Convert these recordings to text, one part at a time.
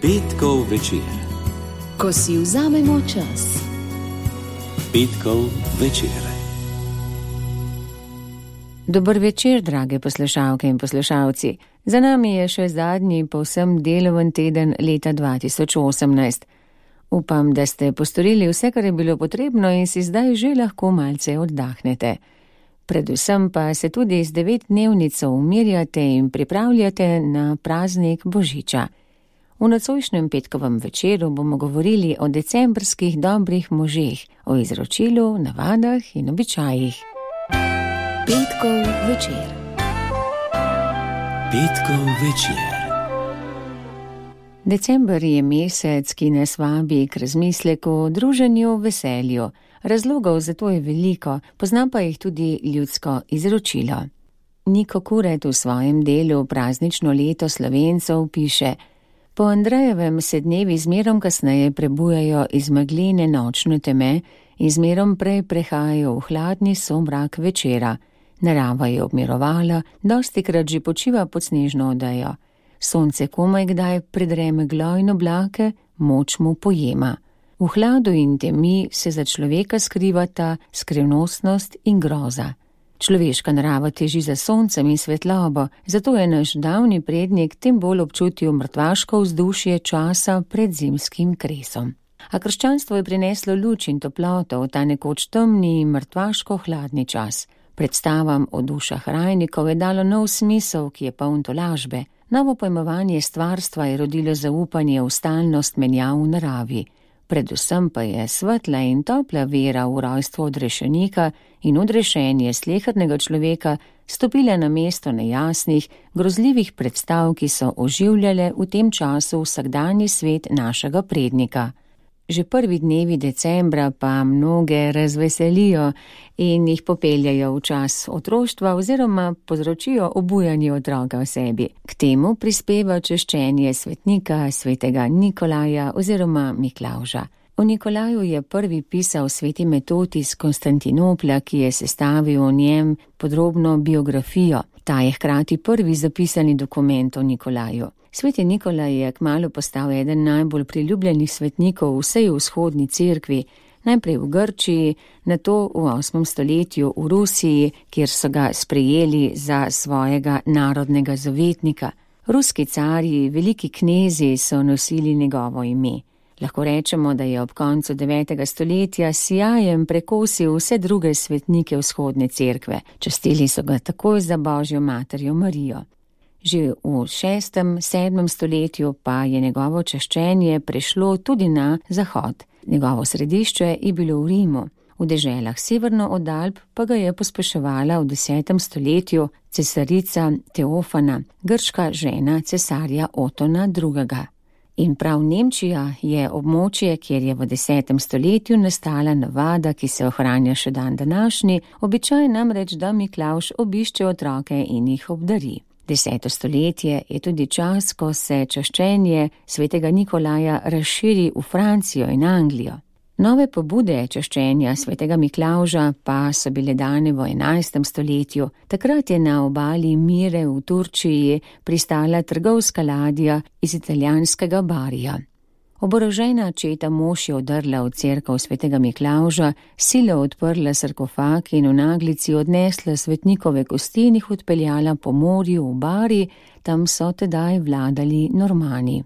Petkov večer. Ko si vzamemo čas. Petkov večer. Dober večer, drage poslušalke in poslušalci. Za nami je še zadnji povsem deloven teden leta 2018. Upam, da ste postorili vse, kar je bilo potrebno in si zdaj že lahko malce oddahnete. Predvsem pa se tudi z 9-dnevnico umirjate in pripravljate na praznik Božiča. V nocojšnjem petkovem večeru bomo govorili o decembrskih dobrih možeh, o izročilu, navadah in običajih. Petkov večer. Petkov večer. December je mesec, ki nas vabi k razmisleku, druženju, veselju. Razlogov za to je veliko, pozna pa jih tudi ljudsko izročilo. Niko Kuret v svojem delu Praznično leto Slovencev piše: Po Andrejevem se dnevi zmerom kasneje prebujajo iz megline nočne teme in zmerom prej prehajajo v hladni somrak večera. Narava je obmirovala, dostikrat že počiva pod snežno odejo. Sonce komaj kdaj predre meglo in oblake, moč mu pojema. V hladu in temi se za človeka skrivata skrivnostnost in groza. Človeška narava teži za soncem in svetlobo, zato je naš davni prednik tem bolj občutil mrtvaško vzdušje časa pred zimskim kresom. A krščanstvo je prineslo luč in toploto v ta nekoč temni in mrtvaško hladni čas. Predstavam o dušah rajnikov je dalo nov smisel, ki je poln tolažbe. Novo pojmovanje stvarstva je rodilo zaupanje v stalnost menjav v naravi. Predvsem pa je svetla in topla vera v rojstvo odrešenika in odrešenje slehernega človeka stopila na mesto nejasnih, grozljivih predstav, ki so oživljale v tem času vsakdanji svet našega prednika. Že prvi dnevi decembra pa mnoge razveselijo in jih popeljajo v čas otroštva oziroma povzročijo obujanje otroka v sebi. K temu prispeva češčenje svetnika svetega Nikolaja oziroma Miklavža. O Nikolaju je prvi pisal sveti Metod iz Konstantinopla, ki je sestavil o njem podrobno biografijo. Ta je hkrati prvi zapisani dokument o Nikolaju. Sveti Nikolaj je kmalu postal eden najbolj priljubljenih svetnikov v vsej vzhodni cerkvi, najprej v Grčiji, nato v 8. stoletju v Rusiji, kjer so ga sprejeli za svojega narodnega zavetnika. Ruski carji, veliki knezi so nosili njegovo ime. Lahko rečemo, da je ob koncu 9. stoletja sijajem prekosil vse druge svetnike vzhodne cerkve. Častili so ga takoj za Božjo materjo Marijo. Že v 6. 7. stoletju pa je njegovo čaščenje prešlo tudi na zahod. Njegovo središče je bilo v Rimu. V deželah severno od Alp pa ga je pospeševala v 10. stoletju cesarica Teofana, grška žena cesarja Otona II. In prav Nemčija je območje, kjer je v 10. stoletju nastala navada, ki se ohranja še dan današnji, običaj namreč, da Miklavž obišče otroke in jih obdari. 10. stoletje je tudi čas, ko se čaščenje svetega Nikolaja razširi v Francijo in Anglijo. Nove pobude čaščenja svetega Miklavža pa so bile dane v 11. stoletju. Takrat je na obali Mire v Turčiji pristala trgovska ladja iz italijanskega Barija. Oborožena četa mož je odrla v cerkev svetega Miklavža, silo odprla sarkofag in v naglici odnesla svetnikove kosti in jih odpeljala po morju v Bari, tam so tedaj vladali Normani.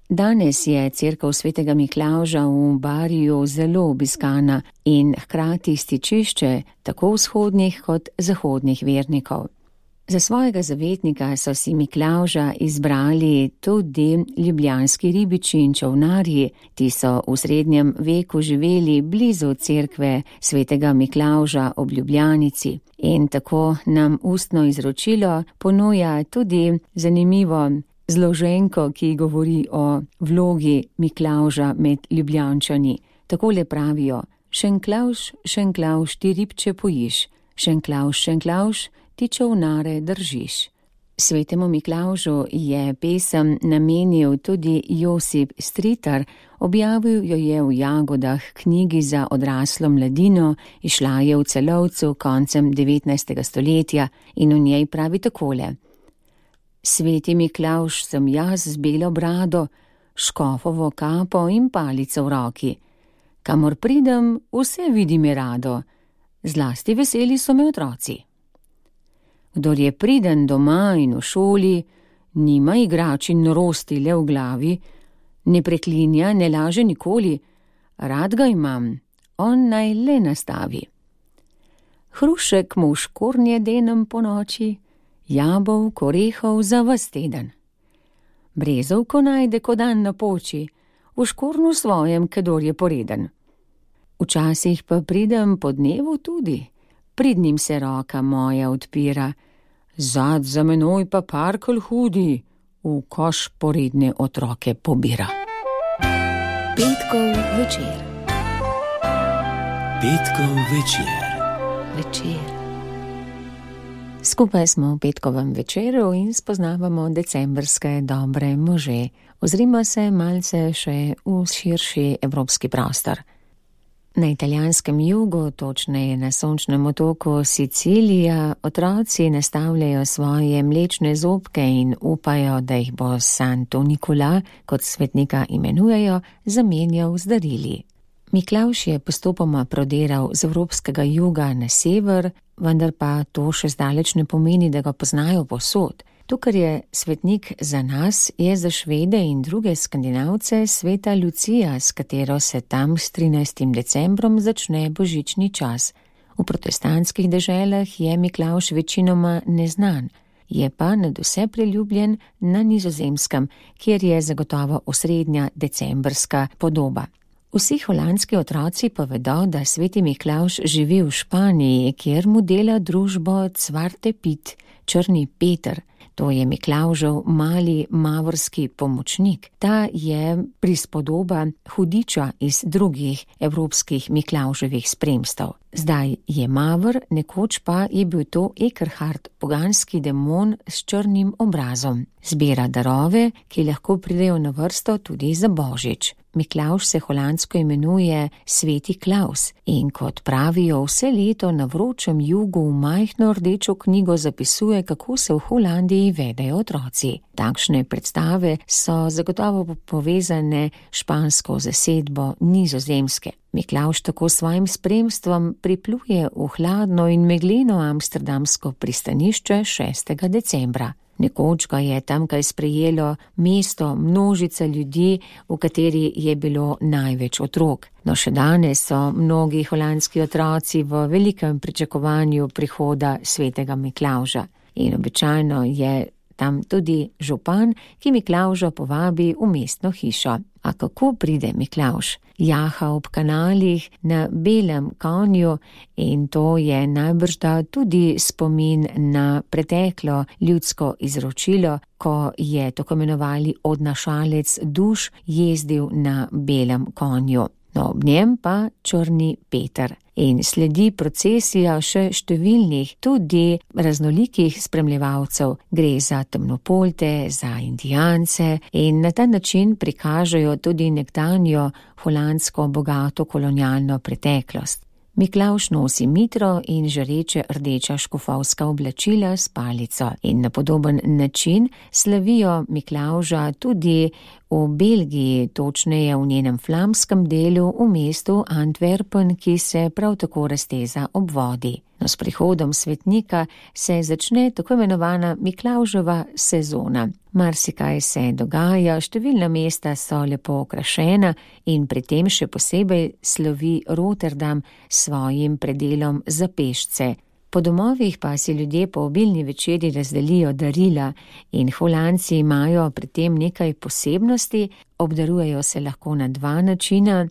Danes je cerkev svetega Miklavža v Bariju zelo obiskana in hkrati stičišče tako vzhodnih kot zahodnih vernikov. Za svojega zavetnika so si Miklavža izbrali tudi ljubljanski ribiči in čolnarji. Ti so v srednjem veku živeli blizu cerkve svetega Miklavža ob Ljubljanici. In tako nam ustno izročilo ponuja tudi zanimivo zloženko, ki govori o vlogi Miklavža med Ljubljančani. Takole pravijo: Šenklavž, Šenklavž, ti ribče pojiš, Šenklavž, Šenklavž, ti čolnare držiš. Svetemu Miklavžu je pesem namenil tudi Josip Stritar, objavil jo je v Jagodah, knjigi za odraslo mladino, izšla je v Celovcu koncem 19. stoletja in v njej pravi takole: Sveti Miklavž sem jaz z belo brado, škofovo kapo in palico v roki. Kamor pridem, vse vidim je rado, zlasti veseli so me otroci. Kdor je priden doma in v šoli, nima igrač in norosti le v glavi, ne preklinja, ne laže nikoli, rad ga imam, on naj le nastavi. Hrušek mu v škornje denem po noči, jabolk, orehov za ves teden. Brezovko najde, ko dan napoči, v škornu svojem, kedor je poreden. Včasih pa pridem po dnevu tudi, pridnim se roka moja odpira, zad za menoj pa parkelj hudi, v koš poredne otroke pobira. Petkov večer. Petkov večer. Večer. Skupaj smo v petkovem večeru in spoznavamo decembrske dobre može. Ozrimo se malce še v širši evropski prostor. Na italijanskem jugu, točneje na sončnem otoku Sicilija, otroci nastavljajo svoje mlečne zobke in upajo, da jih bo Santo Nikola, kot svetnika imenujejo, zamenjal z darili. Miklavž je postopoma prodiral z evropskega juga na sever, vendar pa to še zdaleč ne pomeni, da ga poznajo povsod. To, kar je svetnik za nas, je za Švede in druge Skandinavce sveta Lucija, s katero se tam s 13. decembrom začne božični čas. V protestantskih deželah je Miklavž večinoma neznan, je pa nadvse priljubljen na Nizozemskem, kjer je zagotovo osrednja decembrska podoba. Vsi holandski otroci pa vedo, da sveti Miklavž živi v Španiji, kjer mu dela družbo Cvarte Pit, črni Peter. To je Miklavžev mali mavorski pomočnik. Ta je prispodoba hudiča iz drugih evropskih Miklavževih spremstev. Zdaj je mavr, nekoč pa je bil to Ekerhard, poganski demon s črnim obrazom. Zbira darove, ki lahko pridejo na vrsto tudi za božič. Miklavž se holandsko imenuje Sveti Klaus in kot pravijo, vse leto na vročem jugu v majhno rdečo knjigo zapisuje, kako se v Holandiji vedejo otroci. Takšne predstave so zagotovo povezane špansko zasedbo Nizozemske. Miklavž tako svojim spremstvom pripluje v hladno in megleno amsterdamsko pristanišče 6. decembra. Nekoč ga je tamkaj sprejelo mesto, množica ljudi, v kateri je bilo največ otrok. No, še danes so mnogi holandski otroci v velikem pričakovanju prihoda svetega Miklavža. In običajno je tam tudi župan, ki Miklavža povabi v mestno hišo. A kako pride Miklavž? Jaha ob kanalih na belem konju in to je najbrž da tudi spomin na preteklo ljudsko izročilo, ko je tako imenovali odnašalec duš jezdil na belem konju. No, ob njem pa črni Peter. In sledi procesija še številnih, tudi raznolikih spremljevalcev. Gre za temnopolte, za indijance in na ta način prikažejo tudi nekdanjo holandsko bogato kolonialno preteklost. Miklavž nosi mitro in žareče rdeča škofovska oblačila s palico in na podoben način slavijo Miklavža tudi v Belgiji, točneje v njenem flamskem delu v mestu Antwerpen, ki se prav tako razteza ob vodi. No, s prihodom svetnika se začne tako imenovana Miklavževa sezona. Marsikaj se dogaja, številna mesta so lepo okrašena in pri tem še posebej slovi Rotterdam s svojim predelom za pešce. Po domovih pa si ljudje po obilni večeri razdelijo darila in Holandci imajo pri tem nekaj posebnosti, obdarujejo se lahko na dva načina.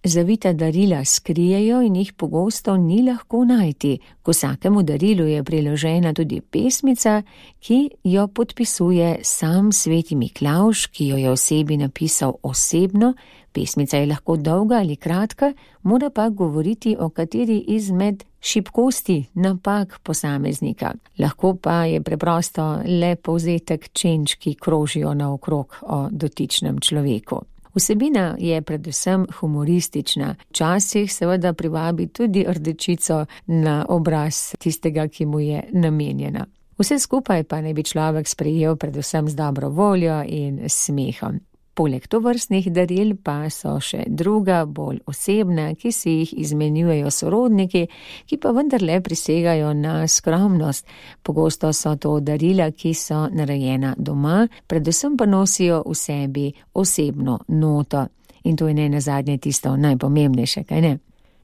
Zavita darila skrijejo in jih pogosto ni lahko najti. K vsakemu darilu je priložena tudi pesmica, ki jo podpisuje sam sveti Miklavž, ki jo je osebi napisal osebno. Pesmica je lahko dolga ali kratka, mora pa govoriti o kateri izmed šibkosti, napak posameznika. Lahko pa je preprosto le povzetek čenč, ki krožijo naokrog o dotičnem človeku. Vsebina je predvsem humoristična, včasih seveda privabi tudi rdečico na obraz tistega, ki mu je namenjena. Vse skupaj pa naj bi človek sprejel predvsem z dobro voljo in smehom. Poleg tovrstnih daril pa so še druga, bolj osebna, ki si jih izmenjujejo sorodniki, ki pa vendarle prisegajo na skromnost. Pogosto so to darila, ki so narejena doma, predvsem pa nosijo v sebi osebno noto. In to je ne nazadnje tisto najpomembnejše, kaj ne?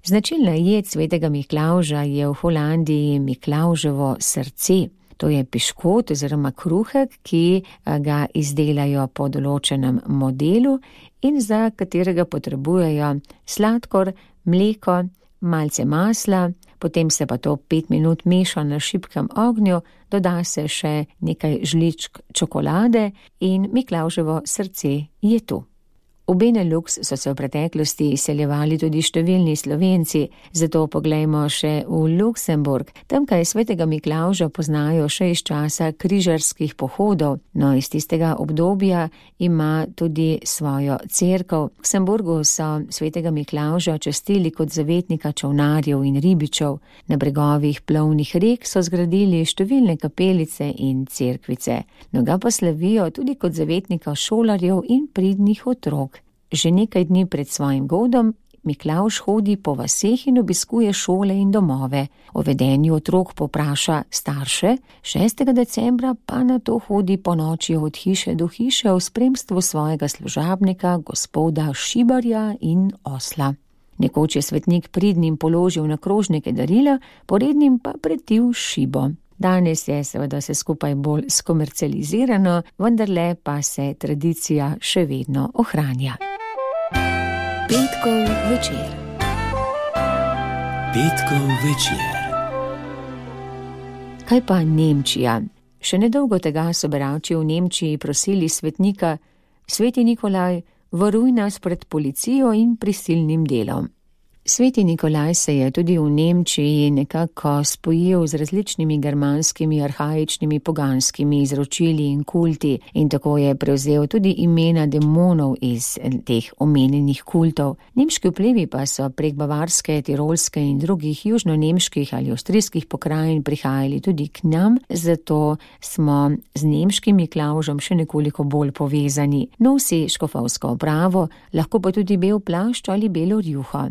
Značilna jed svetega Miklavža je v Holandiji Miklavževo srce. To je piškot oziroma kruhek, ki ga izdelajo po določenem modelu in za katerega potrebujejo sladkor, mleko, malce masla, potem se pa to 5 minut meša na šibkem ognju, doda se še nekaj žličk čokolade in Miklavževo srce je tu. V Benelux so se v preteklosti izseljevali tudi številni Slovenci, zato poglejmo še v Luksemburg. Tamkaj svetega Miklavža poznajo še iz časa križarskih pohodov, no iz tistega obdobja ima tudi svojo cerkev. V Luksemburgu so svetega Miklavža častili kot zavetnika čolnarjev in ribičev. Na bregovih plovnih rek so zgradili številne kapelice in cerkvice. No ga pa slavijo tudi kot zavetnika šolarjev in pridnih otrok. Že nekaj dni pred svojim godom Miklavž hodi po vaseh in obiskuje šole in domove. O vedenju otrok popraša starše, 6. decembra pa na to hodi po noči od hiše do hiše v spremstvu svojega služabnika, gospoda Šibarja in osla. Nekoč je svetnik pridnim položil na krožnike darila, porednim pa pretil šibo. Danes je seveda se skupaj bolj skomercializirano, vendarle pa se tradicija še vedno ohranja. Petkov večer. Petkov večer. Kaj pa Nemčija? Še nedolgo tega so berači v Nemčiji prosili svetnika: Sveti Nikolaj, varuj nas pred policijo in prisilnim delom. Sveti Nikolaj se je tudi v Nemčiji nekako spojil z različnimi germanskimi, arhaičnimi, poganskimi izročili in kulti in tako je prevzel tudi imena demonov iz teh omenjenih kultov. Nemški vplivi pa so prek Bavarske, Tirolske in drugih južno-nemških ali avstrijskih pokrajin prihajali tudi k nam, zato smo z nemškim Miklavžem še nekoliko bolj povezani. Nosi škofovsko opravo, lahko pa tudi bel plašč ali belo rjuho.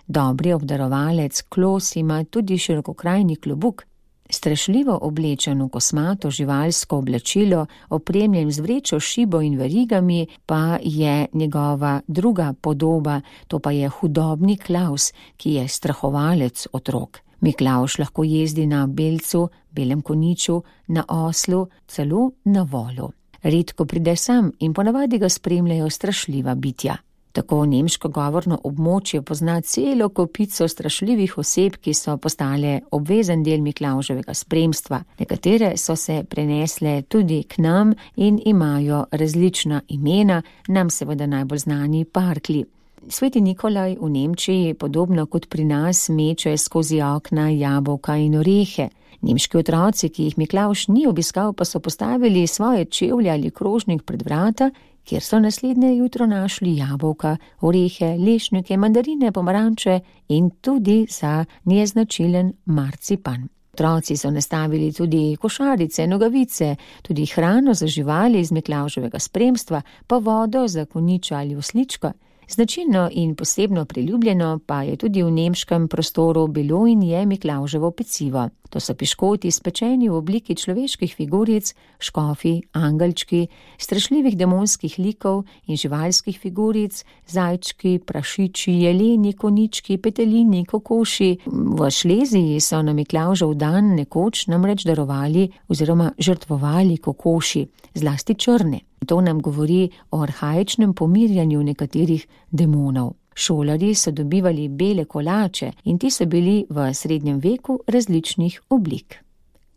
Dobri obdarovalec Klos ima tudi širokokrajni klobuk. Strašljivo oblečen v kosmato živalsko oblačilo, opremljen z vrečo, šibo in verigami, pa je njegova druga podoba, to pa je hudobni Klaus, ki je strahovalec otrok. Miklavž lahko jezdi na belcu, belem koniču, na oslu, celo na volu. Redko pride sam in ponavadi ga spremljajo strašljiva bitja. Tako nemško govorno območje pozna celo kopico strašljivih oseb, ki so postale obvezen del Miklavževega spremstva. Nekatere so se prenesle tudi k nam in imajo različna imena, nam seveda najbolj znani parklji. Sveti Nikolaj v Nemčiji, podobno kot pri nas, meče skozi okna jabolka in orehe. Nemški otroci, ki jih Miklavž ni obiskal, pa so postavili svoje čevlje ali krožnik pred vrata, kjer so naslednje jutro našli jabolka, orehe, lešnike, mandarine, pomaranče in tudi za neznačilen marcipan. Otroci so nastavili tudi košarice, nogavice, tudi hrano za živali iz Miklavževega spremstva, pa vodo za koniča ali osličko. Značilno in posebno priljubljeno pa je tudi v nemškem prostoru bilo in je Miklavževo pecivo. To so piškoti spečeni v obliki človeških figuric, škofi, angelčki, strašljivih demonskih likov in živalskih figuric, zajčki, prašiči, jeleni, konički, petelini, kokoši. V Šleziji so na Miklavžev dan nekoč namreč darovali oziroma žrtvovali kokoši, zlasti črne. To nam govori o arhaičnem pomirjanju nekaterih demonov. Šolarji so dobivali bele kolače in ti so bili v srednjem veku različnih oblik.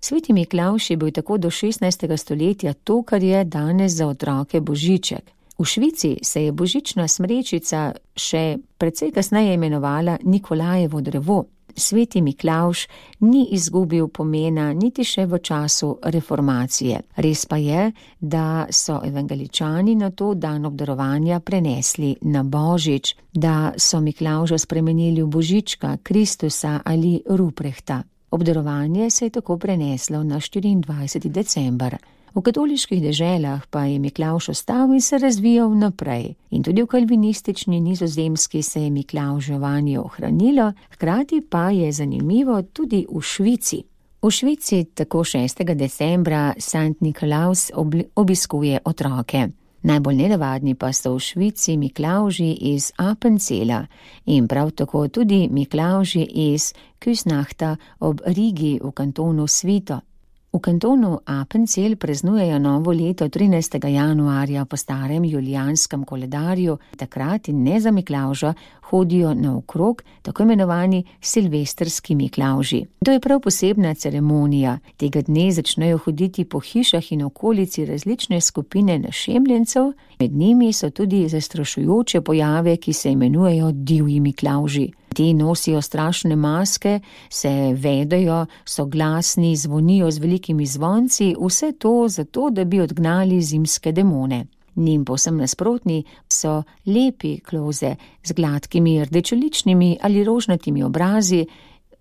Sveti Miklavž je bil tako do 16. stoletja to, kar je danes za otroke božiček. V Švici se je božična smrečica še precej kasneje imenovala Nikolajevo drevo. Sveti Miklavž ni izgubil pomena niti še v času reformacije. Res pa je, da so evangeličani na to dan obdarovanja prenesli na Božič, da so Miklavža spremenili v Božička, Kristusa ali Ruprehta. Obdarovanje se je tako preneslo na 24. december. V katoliških deželah pa je Miklavž ostal in se razvijal naprej. In tudi v kalvinistični Nizozemski se je Miklavževanje ohranilo, hkrati pa je zanimivo tudi v Švici. V Švici tako 6. decembra Sankt Nikolaus obiskuje otroke. Najbolj nenavadni pa so v Švici Miklavži iz Appenzela in prav tako tudi Miklavži iz Küsnachta ob Rigi v kantonu Svito. V kantonu Appenzell praznujejo novo leto 13. januarja po starem julijanskem koledarju, takrat in ne za Miklavža hodijo naokrog tako imenovani silvestrski Miklavži. To je prav posebna ceremonija. Tega dne začnejo hoditi po hišah in okolici različne skupine našemljencev, med njimi so tudi zastrašujoče pojave, ki se imenujejo divji Miklavži. Ti nosijo strašne maske, se vedejo, so glasni, zvonijo z velikimi zvonci, vse to zato, da bi odgnali zimske demone. Njim povsem nasprotni so lepi kloze z gladkimi rdečeličnimi ali rožnatimi obrazi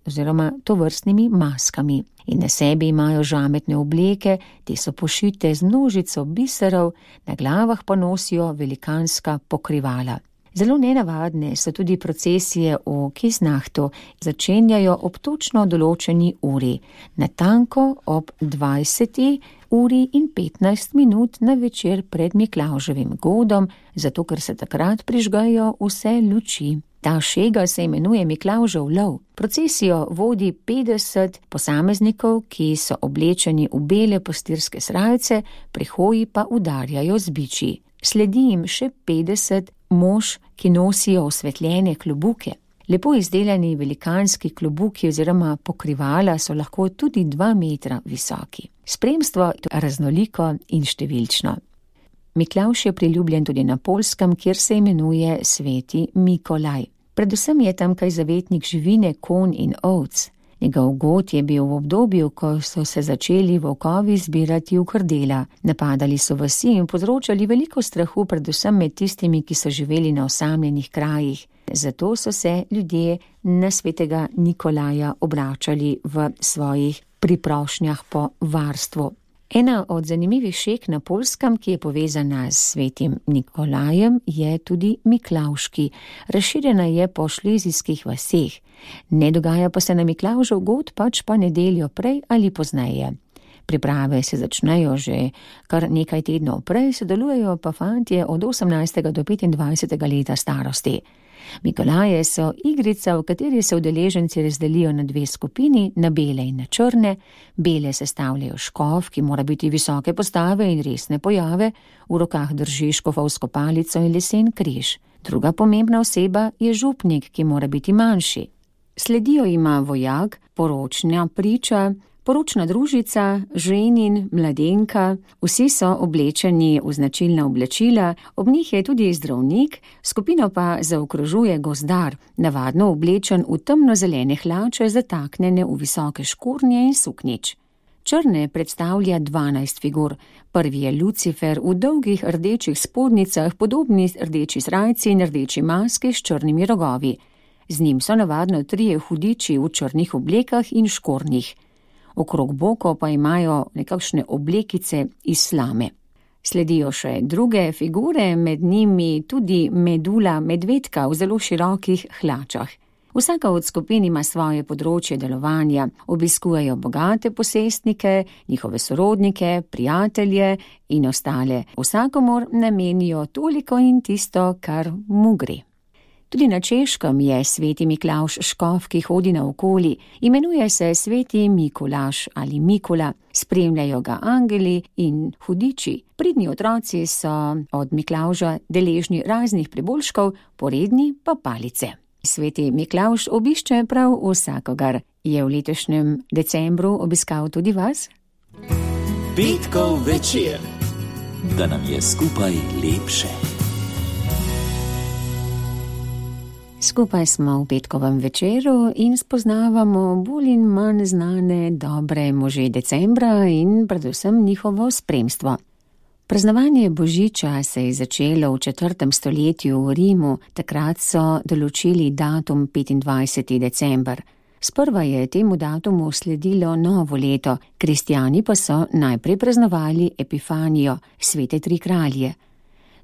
oziroma tovrstnimi maskami. In na sebi imajo žametne obleke, te so pošite z množico biserov, na glavah pa nosijo velikanska pokrivala. Zelo nenavadne so tudi procesije v Küsnachtu, začenjajo ob točno določeni uri, natanko ob 20. uri in 15 minut na večer pred Miklavževim godom, zato ker se takrat prižgajo vse luči. Ta šega se imenuje Miklavžev lov. Procesijo vodi 50 posameznikov, ki so oblečeni v bele pastirske srajce, pri hoji pa udarjajo z biči. Sledi jim še 50 mož, ki nosijo osvetljene klobuke. Lepo izdelani velikanski klobuki oziroma pokrivala so lahko tudi 2 metra visoki. Spremstvo je raznoliko in številčno. Miklavž je priljubljen tudi na Poljskem, kjer se imenuje sveti Mikolaj. Predvsem je tamkaj zavetnik živine, konj in ovc. Njegov god je bil v obdobju, ko so se začeli volkovi zbirati v krdela. Napadali so vasi in povzročali veliko strahu, predvsem med tistimi, ki so živeli na osamljenih krajih. Zato so se ljudje na svetega Nikolaja obračali v svojih priprošnjah po varstvu. Ena od zanimivih šeg na Poljskem, ki je povezana s svetim Nikolajem, je tudi Miklavški. Razširjena je po šlezijskih vaseh. Ne dogaja pa se na Miklavžev god, pač pa nedeljo prej ali pozneje. Priprave se začnejo že kar nekaj tednov prej, sodelujejo pa fantje od 18. do 25. leta starosti. Mikolaje so igrica, v kateri se udeleženci razdelijo na 2 skupini, na bele in na črne. Bele sestavljajo škof, ki mora biti visoke postave in resne pojave, v rokah drži škofovsko palico in lesen križ. Druga pomembna oseba je župnik, ki mora biti manjši. Sledijo ima vojak, poročna priča, poročna družica, ženin, mladenka, vsi so oblečeni v značilna oblačila, ob njih je tudi zdravnik, skupino pa zaokrožuje gozdar, navadno oblečen v temnozelene hlače, zataknjene v visoke škornje in suknjič. Črne predstavlja 12 figur. Prvi je Lucifer v dolgih rdečih spodnicah, podobni rdeči srajci in rdeči maski s črnimi rogovi. Z njim so navadno 3 hudiči v črnih oblekah in škornjih. Okrog bokov pa imajo nekakšne oblekice iz slame. Sledijo še druge figure, med njimi tudi medula medvedka v zelo širokih hlačah. Vsaka od skupin ima svoje področje delovanja, obiskujejo bogate posestnike, njihove sorodnike, prijatelje in ostale. Vsakomur namenijo toliko in tisto, kar mu gre. Tudi na Češkem je sveti Miklavž škof, ki hodi naokoli. Imenuje se sveti Mikolaž ali Mikola, spremljajo ga angeli in hudiči. Pridni otroci so od Miklavža deležni raznih priboljškov, poredni pa palice. Sveti Miklavž obišče prav vsakogar. Je v letošnjem decembru obiskal tudi vas? Petkov večer, da nam je skupaj lepše. Skupaj smo v petkovem večeru in spoznavamo bolj in manj znane dobre može decembra in predvsem njihovo spremstvo. Praznovanje Božiča se je začelo v 4. stoletju v Rimu, takrat so določili datum 25. december. Sprva je temu datumu sledilo novo leto, kristjani pa so najprej praznovali Epifanijo, svete tri kralje.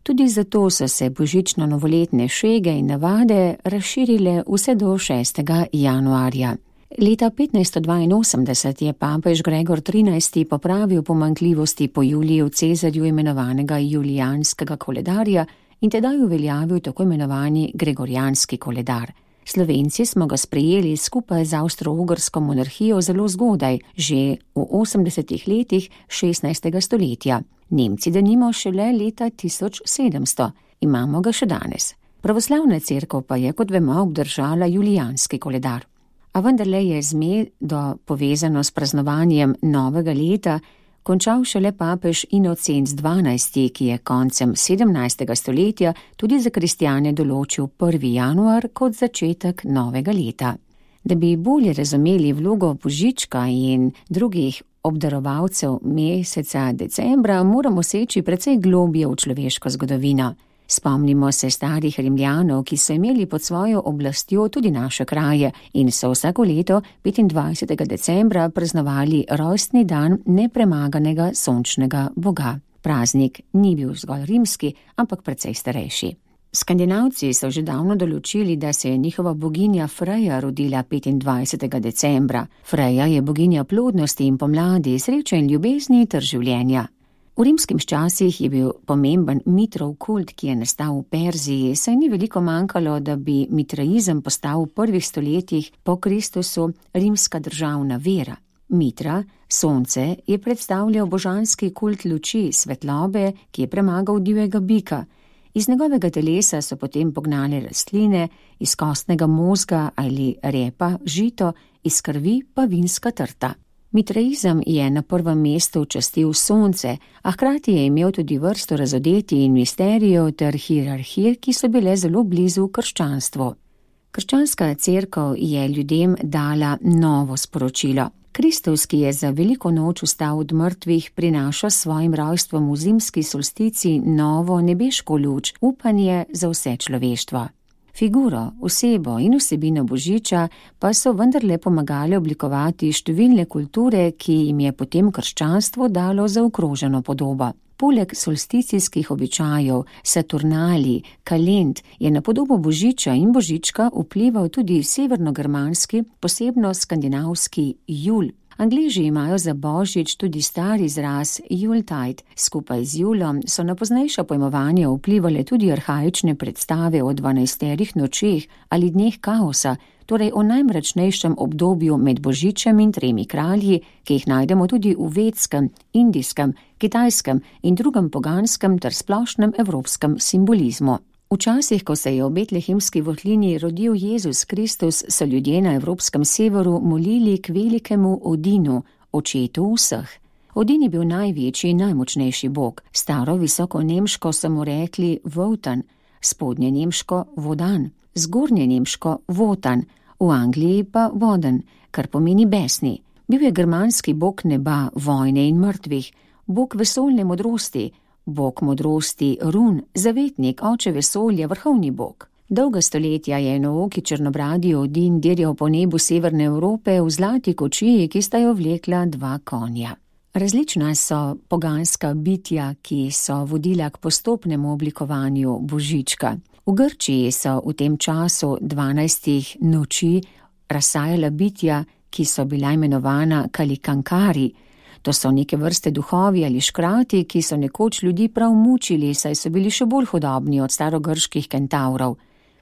Tudi zato so se božično-novoletne šege in navade razširile vse do 6. januarja. Leta 1582 je papež Gregor XIII. Popravil pomanjkljivosti po Juliju Cezarju imenovanega julijanskega koledarja in tedaj uveljavil tako imenovani gregorijanski koledar. Slovenci smo ga sprejeli skupaj z Avstro-Ugrsko monarhijo zelo zgodaj, že v 80. letih 16. stoletja. Nemci denimo šele leta 1700, imamo ga še danes. Pravoslavna cerkev pa je, kot vemo, obdržala julijanski koledar. A vendarle je zmedo povezano s praznovanjem novega leta končal šele papež Inocenc XII., ki je koncem 17. stoletja tudi za kristjane določil 1. januar kot začetek novega leta. Da bi bolje razumeli vlogo božička in drugih obdarovalcev meseca decembra, moramo seči precej globje v človeško zgodovino. Spomnimo se starih Rimljanov, ki so imeli pod svojo oblastjo tudi naše kraje in so vsako leto 25. decembra praznovali rojstni dan nepremaganega sončnega boga. Praznik ni bil zgolj rimski, ampak precej starejši. Skandinavci so že davno določili, da se je njihova boginja Freja rodila 25. decembra. Freja je boginja plodnosti in pomladi, sreče in ljubezni ter življenja. V rimskih časih je bil pomemben Mitrov kult, ki je nastal v Perziji, saj ni veliko manjkalo, da bi mitraizem postal v prvih stoletjih po Kristusu rimska državna vera. Mitra, sonce, je predstavljal božanski kult luči, svetlobe, ki je premagal divjega bika. Iz njegovega telesa so potem pognali rastline, iz kostnega mozga ali repa žito, iz krvi pa vinska trta. Mitraizem je na prvem mestu častil sonce, a hkrati je imel tudi vrsto razodetij in misterijev ter hierarhij, ki so bile zelo blizu krščanstvu. Krščanska cerkev je ljudem dala novo sporočilo. Kristus, ki je za veliko noč vstal od mrtvih, prinaša s svojim rojstvom v zimski solstici novo nebeško luč, upanje za vse človeštvo. Figuro, osebo in vsebino božiča pa so vendarle pomagali oblikovati številne kulture, ki jim je potem krščanstvo dalo zaokroženo podobo. Poleg solsticijskih običajev, Saturnali, kalend je na podobo božiča in božička vplival tudi severnogermanski, posebno skandinavski jul. Angleži imajo za božič tudi star izraz Yuletide. Skupaj z julom so na poznejša pojmovanja vplivale tudi arhaične predstave o 12 nočeh ali dneh kaosa, torej o najmračnejšem obdobju med božičem in 3 kralji, ki jih najdemo tudi v vedskem, indijskem, kitajskem in drugem poganskem ter splošnem evropskem simbolizmu. Včasih, ko se je v betlehemski votlini rodil Jezus Kristus, so ljudje na evropskem severu molili k velikemu Odinu, očetu vseh. Odin je bil največji in najmočnejši bog. Staro visoko nemško so mu rekli Wotan, spodnje nemško Wodan, zgornje nemško Wotan, v Angliji pa Woden, kar pomeni besni. Bil je germanski bog neba, vojne in mrtvih, bog vesoljne modrosti, bog modrosti Run, zavetnik, oče vesolja, vrhovni bog. Dolga stoletja je enooki črnobradi Odin dirjal po nebu severne Evrope v zlati kočiji, ki sta jo vlekla 2 konja. Različna so poganska bitja, ki so vodila k postopnemu oblikovanju božička. V Grčiji so v tem času 12 noči razsajala bitja, ki so bila imenovana kalikankari. To so neke vrste duhovi ali škrati, ki so nekoč ljudi prav mučili, saj so bili še bolj hudobni od starogrških kentavrov.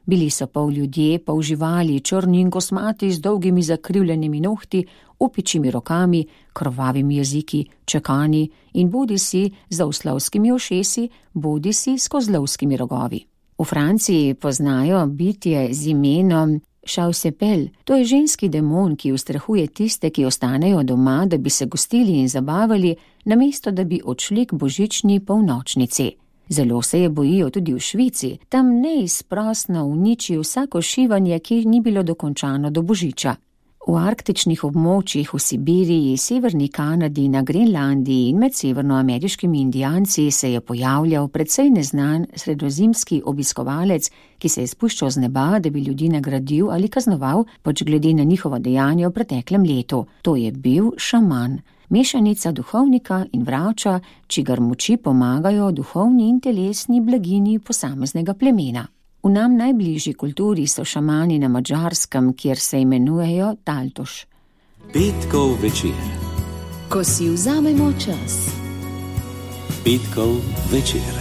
Bili so pol ljudje, pol živali, črni in kosmati z dolgimi zakrivljenimi nohti, opičimi rokami, krvavimi jeziki, čekani in bodisi z oslovskimi ušesi, bodisi s kozlovskimi rogovi. V Franciji poznajo bitje z imenom Šavsepel, to je ženski demon, ki ustrahuje tiste, ki ostanejo doma, da bi se gostili in zabavali, namesto da bi odšli k božični polnočnici. Zelo se je bojijo tudi v Švici, tam neizprosno uniči vsako šivanje, ki ni bilo dokončano do božiča. V arktičnih območjih v Sibiriji, severni Kanadi, na Grenlandiji in med severnoameriškimi Indijanci se je pojavljal precej neznan sredozemski obiskovalec, ki se je spuščal z neba, da bi ljudi nagradil ali kaznoval, pač glede na njihovo dejanje v preteklem letu. To je bil šaman. Mešanica duhovnika in vrača, čigar moči pomagajo duhovni in telesni blagini posameznega plemena. V nam najbližji kulturi so šamani na Madžarskem, kjer se imenujejo Taltoš. Petkov večer. Ko si vzamemo čas. Petkov večer.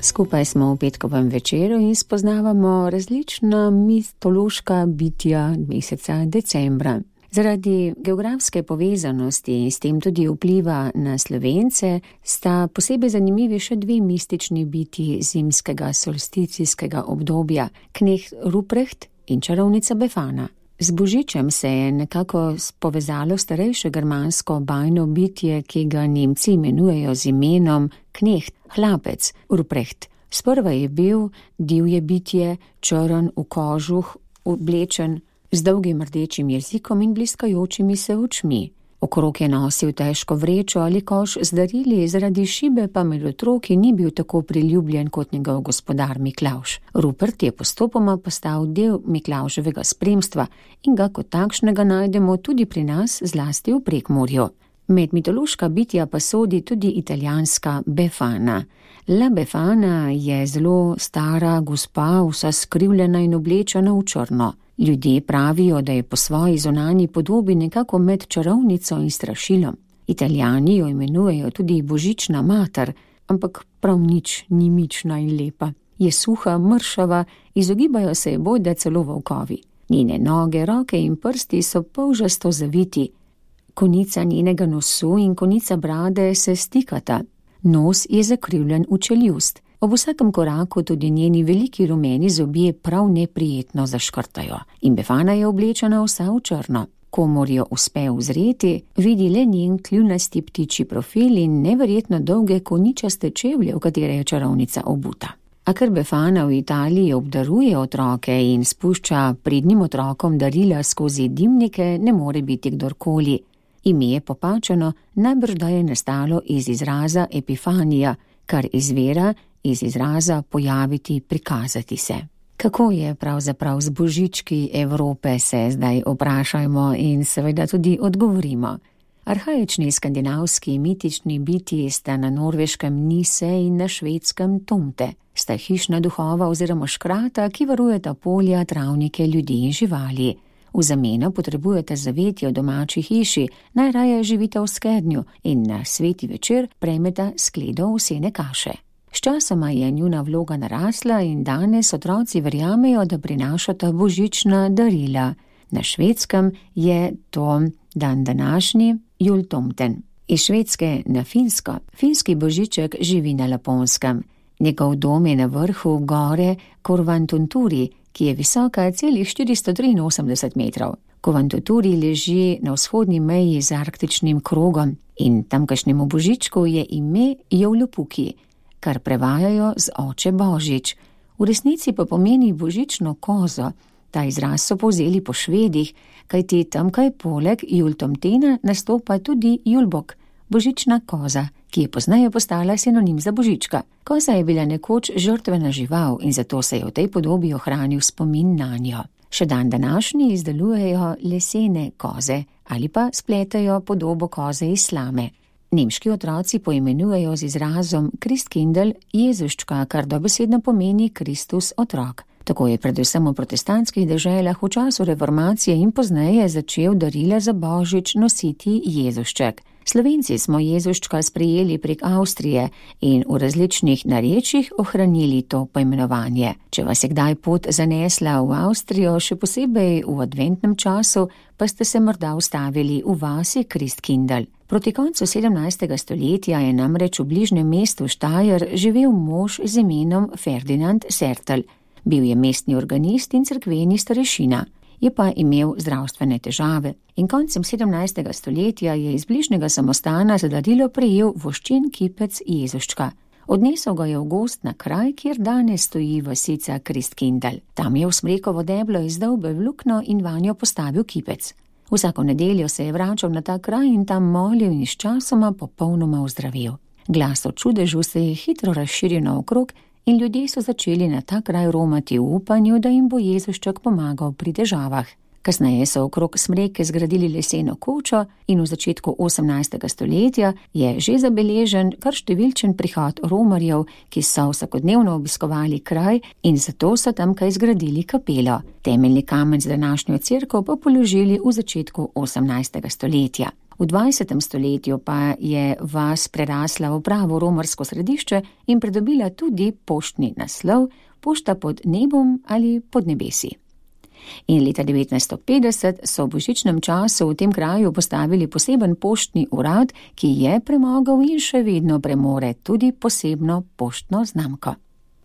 Skupaj smo v petkovem večeru in spoznavamo različna mitološka bitja meseca decembra. Zaradi geografske povezanosti in s tem tudi vpliva na Slovence sta posebej zanimivi še dve mistični bitji zimskega solsticijskega obdobja, kneht Ruprecht in čarovnica Befana. Z Božičem se je nekako povezalo starejše germansko bajno bitje, ki ga Nemci imenujejo z imenom kneht, hlapec, Ruprecht. Sprva je bil divje bitje, črn v kožuh, oblečen, z dolgim rdečim jezikom in bliskajočimi se očmi. Okrog je nosil težko vrečo ali koš z darili, zaradi šibe pa med otroki ni bil tako priljubljen kot njegov gospodar Miklavž. Rupert je postopoma postal del Miklavževega spremstva in ga kot takšnega najdemo tudi pri nas, zlasti v Prekmurju. Med mitološka bitja pa sodi tudi italijanska Befana. La Befana je zelo stara gospa, vsa skrivljena in oblečena v črno. Ljudje pravijo, da je po svoji zunanji podobi nekako med čarovnico in strašilom. Italijani jo imenujejo tudi božična mater, ampak prav nič ni mična in lepa. Je suha, mršava, izogibajo se je bojda celo volkovi. Njene noge, roke in prsti so polžasto zaviti. Konica njenega nosu in konica brade se stikata. Nos je zakrivljen v čeljust. Ob vsakem koraku tudi njeni veliki rumeni zobje prav neprijetno zaškrtajo. In Befana je oblečena vsa v črno. Komor jo uspe uzreti, vidi le njen kljunasti ptičji profil in neverjetno dolge koničaste čevlje, v katere je čarovnica obuta. A ker Befana v Italiji obdaruje otroke in spušča pridnim otrokom darila skozi dimnike, ne more biti kdorkoli. Ime je popačeno, najbrž da je nastalo iz izraza epifanija, kar izvira iz izraza pojaviti, prikazati se. Kako je pravzaprav z božički Evrope, se zdaj vprašajmo in seveda tudi odgovorimo. Arhaični skandinavski mitični bitji sta na Norveškem Nise in na Švedskem Tomte. Sta hišna duhova oziroma škrata, ki varujeta polja, travnike, ljudi in živali. V zameno potrebujete zavetje v domači hiši, najraje živite v skednju in na sveti večer prejmeta skledo ovsene kaše. Sčasoma je njuna vloga narasla in danes otroci verjamejo, da prinašata božična darila. Na Švedskem je to dan današnji jultomten. Iz Švedske na Finsko. Finski božiček živi na Laponskem. Njegov dom je na vrhu gore Korvantunturi, ki je visoka celih 483 metrov. Korvantunturi leži na vzhodni meji z arktičnim krogom in tamkajšnjemu božičku je ime Joulupuki, kar prevajajo z oče Božič. V resnici pa pomeni božično kozo. Ta izraz so povzeli po Švedih, kajti tamkaj poleg jultomtena nastopa tudi julbok, božična koza, ki je pozneje postala sinonim za božička. Koza je bila nekoč žrtvena žival in zato se je v tej podobi ohranil spomin nanjo. Še dan današnji izdelujejo lesene koze ali pa spletajo podobo koze iz slame. Nemški otroci poimenujejo z izrazom Christkindl Jezuščka, kar dobesedno pomeni Kristus otrok. Tako je predvsem v protestantskih deželah v času reformacije in pozneje začel darila za božič nositi Jezušček. Slovenci smo Jezuščka sprejeli prek Avstrije in v različnih narečjih ohranili to poimenovanje. Če vas je kdaj pot zanesla v Avstrijo, še posebej v adventnem času, pa ste se morda ustavili v vasi Christkindl. Proti koncu 17. stoletja je namreč v bližnjem mestu Štajer živel mož z imenom Ferdinand Sertl. Bil je mestni organist in cerkveni starešina. Je pa imel zdravstvene težave in koncem 17. stoletja je iz bližnjega samostana za darilo prejel voščen kipec Jezuščka. Odnesel ga je v gozd na kraj, kjer danes stoji vasica Christkindl. Tam je v smrekovo deblo izdolbel luknjo in vanjo postavil kipec. Vsako nedeljo se je vračal na ta kraj in tam molil in sčasoma popolnoma ozdravil. Glas o čudežu se je hitro razširil naokrog in ljudje so začeli na ta kraj romati v upanju, da jim bo Jezušček pomagal pri težavah. Kasneje so okrog smreke zgradili leseno kočo in v začetku 18. stoletja je že zabeležen kar številčen prihod romarjev, ki so vsakodnevno obiskovali kraj in zato so tamkaj zgradili kapelo. Temeljni kamen z današnjo cerkev pa položili v začetku 18. stoletja. V 20. stoletju pa je vas prerasla v pravo romarsko središče in pridobila tudi poštni naslov Pošta pod nebom ali pod nebesi. In leta 1950 so v božičnem času v tem kraju postavili poseben poštni urad, ki je premagal in še vedno premore tudi posebno poštno znamko.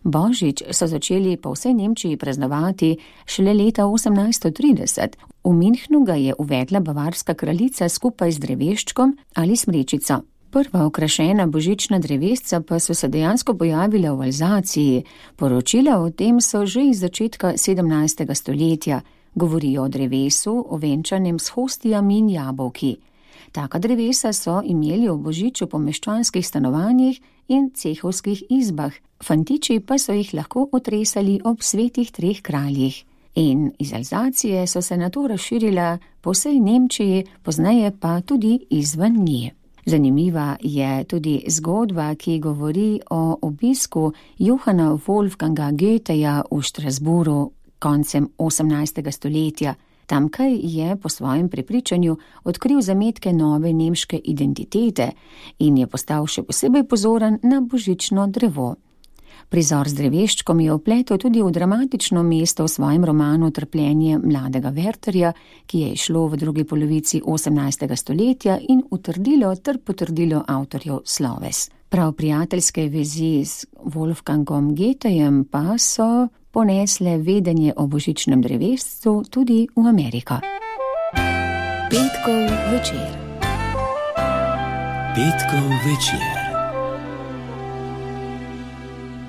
Božič so začeli po vsej Nemčiji praznovati šele leta 1830. V Münchnu ga je uvedla bavarska kraljica skupaj z dreveščkom ali smrečico. Prva okrašena božična drevesca pa so se dejansko pojavila v Alzaciji. Poročila o tem so že iz začetka 17. stoletja. Govorijo o drevesu, ovenčanem s hostijami in jabolki. Taka drevesa so imeli v božiču po meščanskih stanovanjih in cehovskih izbah. Fantiči pa so jih lahko otresali ob svetih 3 kraljih. In iz Alzacije so se nato razširila po vsej Nemčiji, pozneje pa tudi izven nje. Zanimiva je tudi zgodba, ki govori o obisku Johanna Wolfganga Goetheja v Strasbourgu koncem 18. stoletja. Tamkaj je po svojem prepričanju odkril zametke nove nemške identitete in je postal še posebej pozoren na božično drevo. Prizor z dreveščkom je vpletel tudi v dramatično mesto v svojem romanu Trpljenje mladega Wertherja, ki je izšlo v drugi polovici 18. stoletja in utrdilo ter potrdilo avtorjev sloves. Prav prijateljske vezi z Wolfgangom Goethejem pa so ponesle vedenje o božičnem drevescu tudi v Ameriko. Petkov večer. Petkov večer.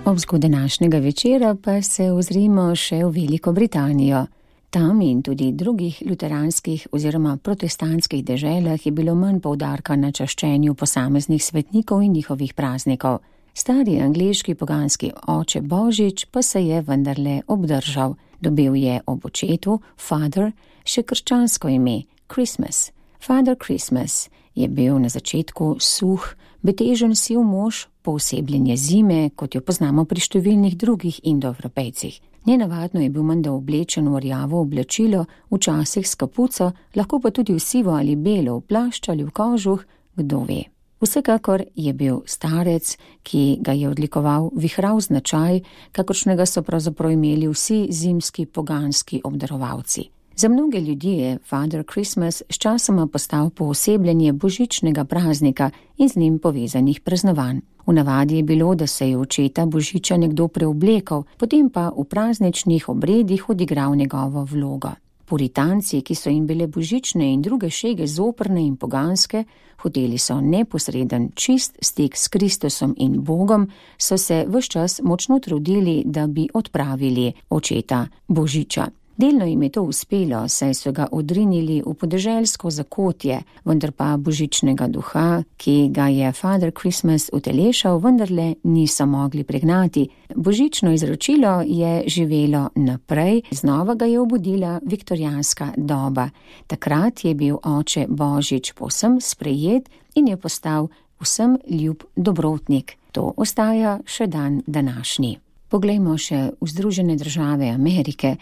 Ob zgodaj današnjega večera pa se ozrimo še v Veliko Britanijo. Tam in tudi drugih luteranskih oziroma protestantskih deželah je bilo manj poudarka na čaščenju posameznih svetnikov in njihovih praznikov. Stari angleški poganski oče Božič pa se je vendarle obdržal. Dobil je ob očetu, Father, še krščansko ime, Christmas. Father Christmas je bil na začetku suh, betežen siv mož, poosebljenje zime, kot jo poznamo pri številnih drugih indoevropejcih. Nenavadno je bil menda oblečen v rjavo oblačilo, včasih s kapuco, lahko pa tudi v sivo ali belo, v plašč ali v kožuh, kdo ve. Vsekakor je bil starec, ki ga je odlikoval vihrav značaj, kakršnega so pravzaprav imeli vsi zimski poganski obdarovalci. Za mnoge ljudi je Father Christmas sčasoma postal poosebljenje božičnega praznika in z njim povezanih praznovanj. V navadi je bilo, da se je očeta Božiča nekdo preoblekal, potem pa v prazničnih obredih odigral njegovo vlogo. Puritanci, ki so jim bile božične in druge šege zoprne in poganske, hoteli so neposreden čist stik s Kristusom in Bogom, so se ves čas močno trudili, da bi odpravili očeta Božiča. Delno jim je to uspelo, saj so ga odrinili v podeželsko zakotje, vendar pa božičnega duha, ki ga je Father Christmas utelešal, vendarle niso mogli pregnati. Božično izročilo je živelo naprej, znova ga je obudila viktorijanska doba. Takrat je bil oče Božič povsem sprejet in je postal vsem ljub dobrotnik. To ostaja še dan današnji. Poglejmo še v Združene države Amerike.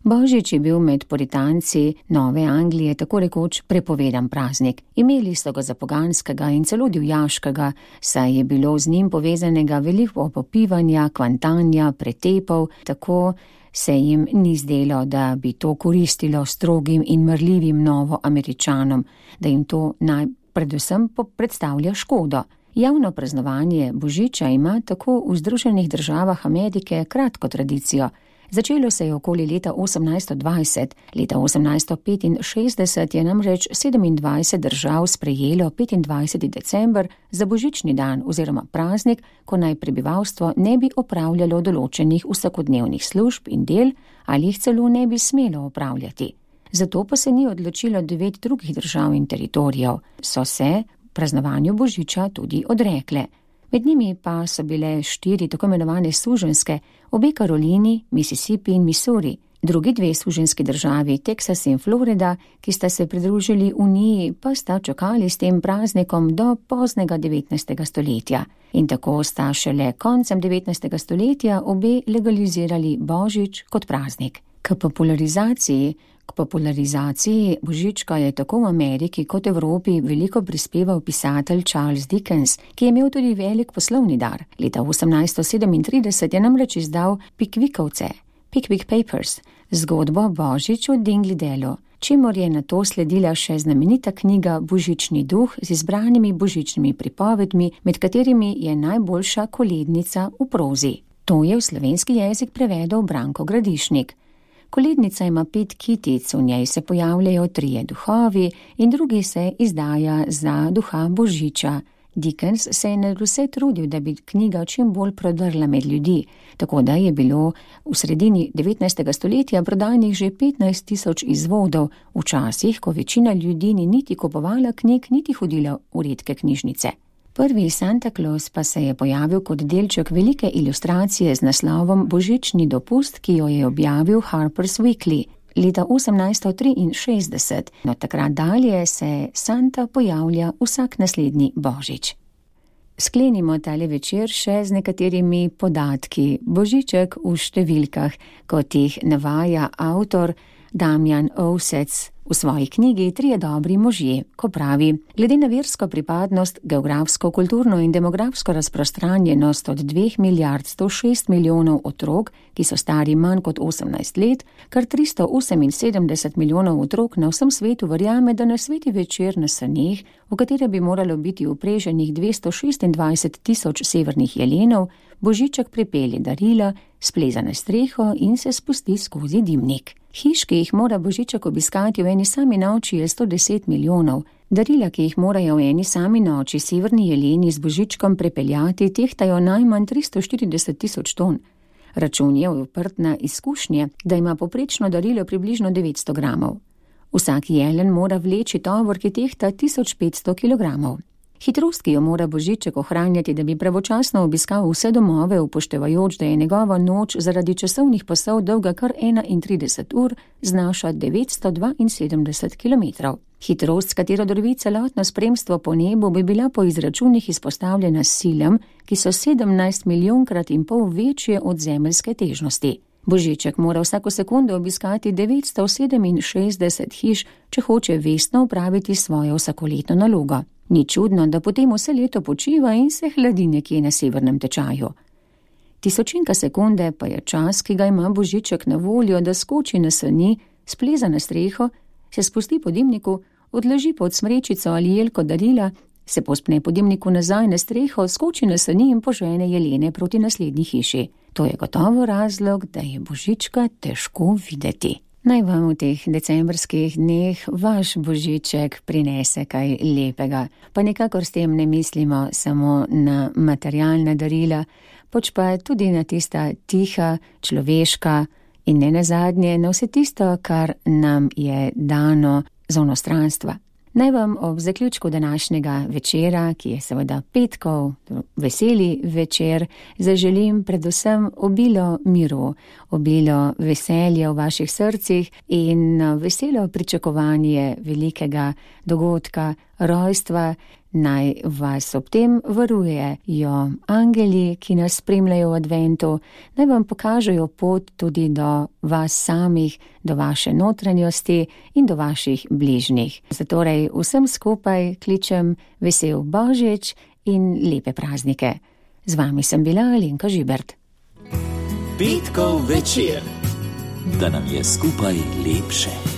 Božič je bil med puritanci Nove Anglije tako rekoč prepovedan praznik. Imeli so ga za poganskega in celo divjaškega, saj je bilo z njim povezanega veliko popivanja, kvantanja, pretepov, tako se jim ni zdelo, da bi to koristilo strogim in marljivim Novoameričanom, da jim to predvsem predstavlja škodo. Javno praznovanje Božiča ima tako v Združenih državah Amerike kratko tradicijo. Začelo se je okoli leta 1820. Leta 1865 je namreč 27 držav sprejelo 25. december za božični dan oziroma praznik, ko naj prebivalstvo ne bi opravljalo določenih vsakodnevnih služb in del ali jih celo ne bi smelo opravljati. Zato pa se ni odločilo 9 drugih držav in teritorijev, so se praznovanju božiča tudi odrekle. Med njimi pa so bile 4 tako imenovane suženjske, obe Karolini, Mississippi in Missouri, drugi 2 suženjski državi, Teksas in Florida, ki sta se pridružili Uniji, pa sta čakali s tem praznikom do poznega 19. stoletja. In tako sta šele koncem 19. stoletja obe legalizirali božič kot praznik. K popularizaciji božička je tako v Ameriki kot Evropi veliko prispeval pisatelj Charles Dickens, ki je imel tudi velik poslovni dar. Leta 1837 je namreč izdal Pickvickovce, Pickwick Papers, zgodbo Božič v Dingledalu, čemur je nato sledila še znamenita knjiga Božični duh z izbranimi božičnimi pripovedmi, med katerimi je najboljša kolednica v prozi. To je v slovenski jezik prevedel Branko Gradišnik. Kolednica ima 5 kitic, v njej se pojavljajo 3 duhovi in drugi se izdaja za duha Božiča. Dickens se je nadvse trudil, da bi knjiga čim bolj prodrla med ljudi, tako da je bilo v sredini 19. stoletja prodanih že 15.000 izvodov, včasih, ko večina ljudi ni niti kupovala knjig, niti hodila v redke knjižnice. Prvi Santa Claus pa se je pojavil kot delček velike ilustracije z naslovom Božični dopust, ki jo je objavil Harper's Weekly leta 1863. Od takrat dalje se Santa pojavlja vsak naslednji božič. Sklenimo tale večer še z nekaterimi podatki. Božiček v številkah, kot jih navaja avtor Damjan Ovsec v svoji knjigi 3 dobri možje, ko pravi: glede na versko pripadnost, geografsko, kulturno in demografsko razprostranjenost od 2 milijard 106 milijonov otrok, ki so stari manj kot 18 let, kar 378 milijonov otrok na vsem svetu verjame, da na sveti večer na saneh, v katere bi moralo biti upreženih 226.000 severnih jelenov, božiček pripelje darila, spleza na streho in se spusti skozi dimnik. Hiš, ki jih mora božiček obiskati v eni sami noči, je 110 milijonov. Darila, ki jih morajo v eni sami noči severni jeleni z božičkom prepeljati, tehtajo najmanj 340.000 ton. Račun je uprt na izkušnje, da ima poprečno darilo približno 900 gramov. Vsak jelen mora vleči tovor, ki tehta 1500 kilogramov. Hitrost, ki jo mora božiček ohranjati, da bi pravočasno obiskal vse domove, upoštevajoč, da je njegova noč zaradi časovnih pasov dolga kar 31 ur, znaša 972 kilometrov. Hitrost, s katero drvi celotno spremstvo po nebu, bi bila po izračunih izpostavljena silam, ki so 17 milijonkrat in pol večje od zemeljske težnosti. Božiček mora vsako sekundo obiskati 967 hiš, če hoče vestno opraviti svojo vsakoletno nalogo. Ni čudno, da potem vse leto počiva in se hladi nekje na severnem tečaju. Tisočinka sekunde pa je čas, ki ga ima božiček na voljo, da skoči na sani, spleza na streho, se spusti po dimniku, odleži pod smrečico ali jelko darila, se povzpne po dimniku nazaj na streho, skoči na sani in požene jelene proti naslednji hiši. To je gotovo razlog, da je božička težko videti. Naj vam v teh decembrskih dneh vaš božiček prinese kaj lepega. Pa nikakor s tem ne mislimo samo na materialna darila, pač pa tudi na tista tiha, človeška in ne nazadnje na vse tisto, kar nam je dano z onostranstva. Naj vam ob zaključku današnjega večera, ki je seveda petkov, veseli večer, zaželim predvsem obilo miru, obilo veselja v vaših srcih in veselo pričakovanje velikega dogodka, rojstva. Naj vas ob tem varujejo angeli, ki nas spremljajo v adventu, naj vam pokažejo pot tudi do vas samih, do vaše notranjosti in do vaših bližnjih. Zatorej vsem skupaj kličem vesel božič in lepe praznike. Z vami sem bila Alenka Žibert. Petkov večer, da nam je skupaj lepše.